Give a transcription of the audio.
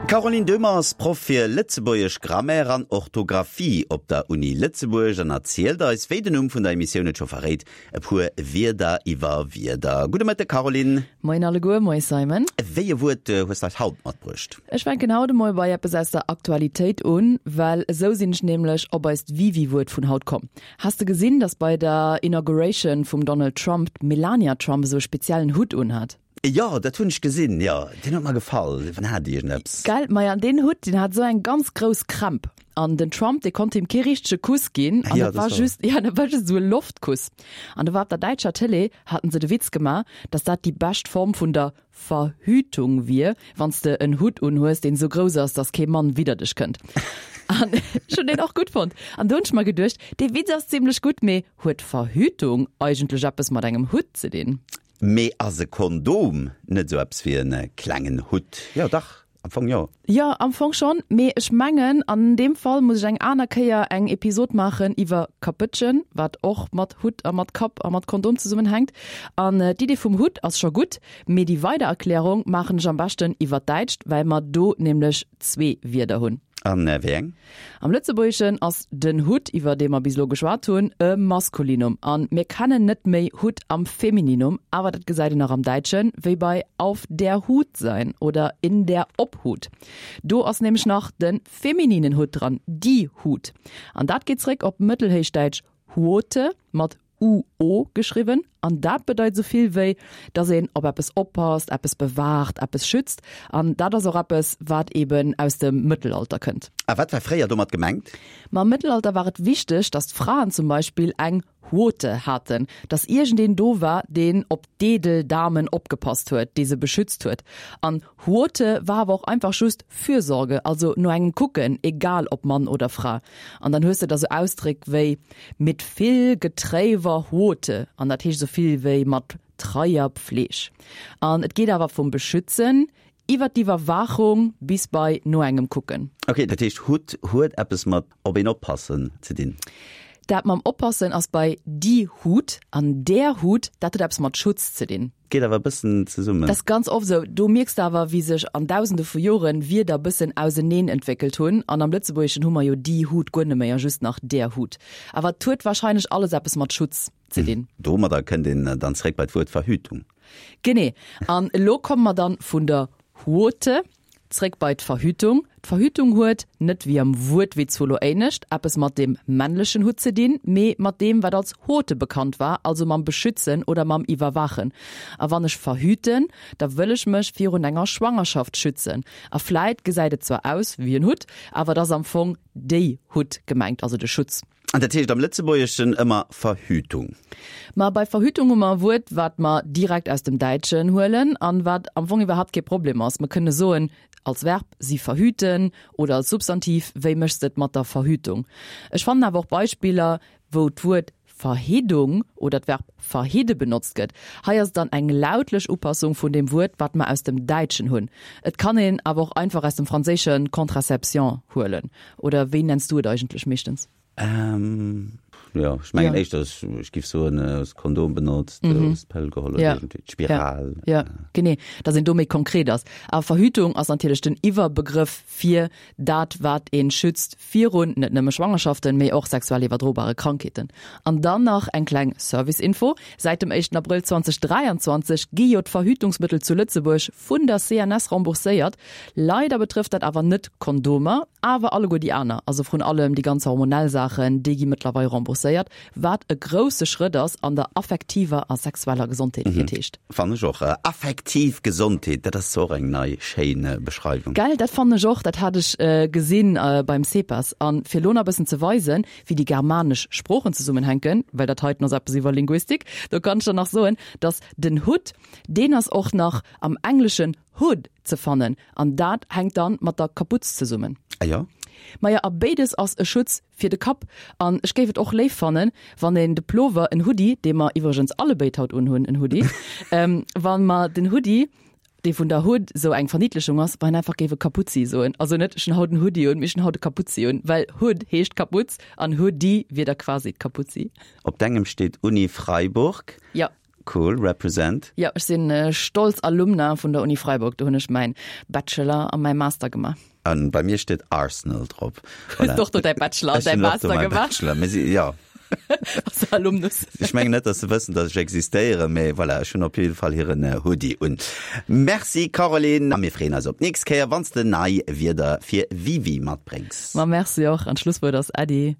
D'Caroline Döhmer ass Proff fir Lëtzebuergesch Grammaire an Orthografie op der Uni Lëtzebuerg an erzielt eis, wéi den Numm vun der Emissioun et scho verréit, e puer Wierder iwwer Wierder. Gudde Mëtteg, Caroline. Moien alleguer, moie Simon. Wéi e Wuert hues de eis haut matbruecht? Ech fänken haut emol bei eppes aus der Aktualitéit un, well esou sinn ech nämlech op eist Wiwi-Wuert vun haut komm. Has de gesinn, dass bei der Inauguration vum Donald Trump d'Melania Trump esou e speziellen Hutt unhat? Jo, dat hunn ech gesinn, jo. Deen huet mer gefall. Deen hat iergendeppes. Gell? Maja, deen Hutt, deen hat esou eng ganz grouss Krämp. An den Trump, dee konnt him kee richtege Kuss ginn. An Jo, dat war dat war. just, ja, dat war just esou e Loftkuss. An do war op der däitscher Tëlee, haten se de Witz gemaach, dass dat déi bescht Form vun der Verhütung wier, wann s de en Hutt unhues, deen esou grouss ass, dass kee Mann widder dech kënnt. An ech hunn deen och gutt fonnt. An do hunn ech mer geduecht, dee Witz ass zimmlech gutt, mee huet Verhütung eigentlech eppes mat engem Hutt ze dinn? Mee ass e Kondom net esou eppes wéi e klengen Hutt? Jo dach, am Fong jo. Jo, am Fong schonn, mee ech mengen an deem Fall muss ech eng aner Kéier eng Episod maachen iwwer Kapëtschen, wat och mat Hutt a mat Kapp a mat Kondom zesummenhänkt. An d'Idee vum Hutt ass scho gutt, mee déi weider Erklärung maachen ech am beschten iwwer d'Däitscht, well mer do nämlech zwee Wierder hunn. An wéi eng? Am Lëtzebuergeschen ass den Hutt, iwwer dee mer bis elo geschwat hunn, e Maskulinum. A mir kennen net méi Hut am Femininum, awer dat gesäit een nach am Däitschen, wéi bei auf der Hut sein oder in der Obhut. Do ass nämlech nach de femininen Hutt dran, die Hut. An dat geet zréck op Mëttelhéichdäitsch huote mat UO geschriwwen an dat bedeit esou vill wéi, dass een op eppes oppasst, eppes bewaacht, eppes schützt. An dat ass och eppes, wat eben aus dem Mëttelalter kënnt. A wat war fréier domat gemengt? Ma am Mëttelalter war et wichteg, dass d'Fraen zum Beispill eng Huote haten, dass iergendeen do war, deen op d'edel Damen opgepasst huet, dee se beschützt huet. An Huote war awer och einfach just Fürsorge, also no engem kucken, egal ob Mann oder Fra. An dann hues de da sou Ausdréck wéi mit vill getréiwer Huote, an dat heescht esou vill wéi mat treier Pfleg. An et geet awer vum Beschützen iwwer d'Iwwerwaachung bis bei no engem kucken. Ok, dat heescht Hutt huet eppes mat op een oppassen ze dinn? Dat mam oppassen ass bei die Hut, an der Hut, dat huet eppes mat Schutz ze dinn. Geet awer e bëssen zesummen. Dat ass ganz oft esou. Do mierks de awer, wéi sech an dausende vu Joren Wierder bëssen auseneen entwéckelt hunn. An am Lëtzebuergeschen hu mer jo die Hut guer net méi a just nach der Hut. Awer et huet warscheinlech alles eppes mat Schutz ze dinn. Domadder kënnt een dann zeréck bei d'Wuert Verhütung. Genee. An elo komme mer dann vun der Huote Zréck bei d'Verhütung. D'Verhütung huet, net wéi am Wuertwitz vu lo éinescht, eppes mat deem männlechen Hutt ze dinn, mee mat deem, wat als Hote bekannt war, also mam Beschützen oder mam Iwwerwaachen. A wann ech verhüten, da wëll ech mech virun enger Schwangerschaft schützen. A vläit gesäit et zwar aus wéi en Hutt, awer et ass am Fong déi Hutt gemengt, also de Schutz. An dat heescht am Lëtzebuergeschen ëmmer Verhütung. Ma bei Verhütung hu mer e Wuert, wat mer direkt aus dem Däitschen huelen an wat am Fong iwwerhaapt kee Problem ass. Mer kënne soen als Verb sie verhüten oder als Substantiv wéi méchs de et mat der Verhütung? Ech fannen awer och Beispiller, wou d'Wuert Verhiddung oder d'Verb verhidde benotzt gëtt. Hei ass et dann eng lautlech Upassung vun deem Wuert, wat mer aus dem Däitschen hunn. Et kann een awer och einfach aus dem Franséische contraception huelen. Oder wéi nenns du et eigentlech meeschtens? Ähm, jo, ech mengen ja. éischter, ech, ech giff soen, äh, hues Kondom benotzt, mhm. hues d'Pëll geholl oder ja. irgendwie d'Spiral. Ja, ja. genee, dass een do méi konkret ass. Awer Verhütung ass natierlech den Iwwerbegrëff fir dat, wat een schützt virun net nëmme Schwangerschaften, mee och sexuell iwwerdrobare Krankheeten. An dann nach eng kleng Service-Info, Säit dem éischten Abrëll 2023 gi jo d'Verhütungsmëttel zu Lëtzebuerg vun der CNS rembourséiert. Leider betrëfft dat awer net Kondomer, awer alleguer déi aner, also vrun allem déi ganz hormonell Saachen, déi gi mëttlerweil rembourséiert, wat e grousse Schrëtt ass an der affektiver a sexueller Gesondheet, wéi et heescht. Fannen ech och. Affektiv Gesondheet, dat ass och eng nei schéin Beschreiwung. Gell, dat fannen ech och. Dat hat ech gesinn beim CEPAS. An fir elo nach e bëssen ze weisen, wéi déi germanesch Sproochen zesummenhänken, well dat heiten ass eppes iwwer Linguistik, do kann ech der nach soen, dass den Hutt, deen ass och nach am Engleschen hood ze fannen an dat hänkt dann mat der Kaputz zesummen. Ah jo? Maja, a béides ass e Schutz fir de Kapp. An ech géif et och léif fannen, wann een de Plover, en Hoodie, dee mer iwwregens allebéid haut unhunn, en Hoodie, wa mer den Hoodie, dee vun der Hood sou eng Verniddlechung ass, wann een einfach géif e Kaputzi soen. Also net ech hunn haut en Hoodie un, mee ech hunn haut e Kaputzi un, well Hood heescht Kaputz an Hoodie wier da quasi d'Kaputzi. Op dengem steet Uni Freiburg. Jo. Cool, represent. Jo, ech sinn stolz Alumna vun der Uni Freiburg. Do hunn ech mäin Bachelor a mäi Master gemaach. An bei mir steet Arsenal drop. Hues du och do däi Bachelor an däi Master gemaach? Bachelor, mee si, jo. Bass du Alumnus? Ech mengen net, dass se wëssen, dass ech existéieren, mee voilà, ech hunn op jidde Fall hiren Hoodie un. Merci Caroline, a mir freeën eis op d'nächst Kéier, wann s de nei Wierder fir Wiwi matbréngs. Ma merci och, an d'Schlusswuert ass Äddi.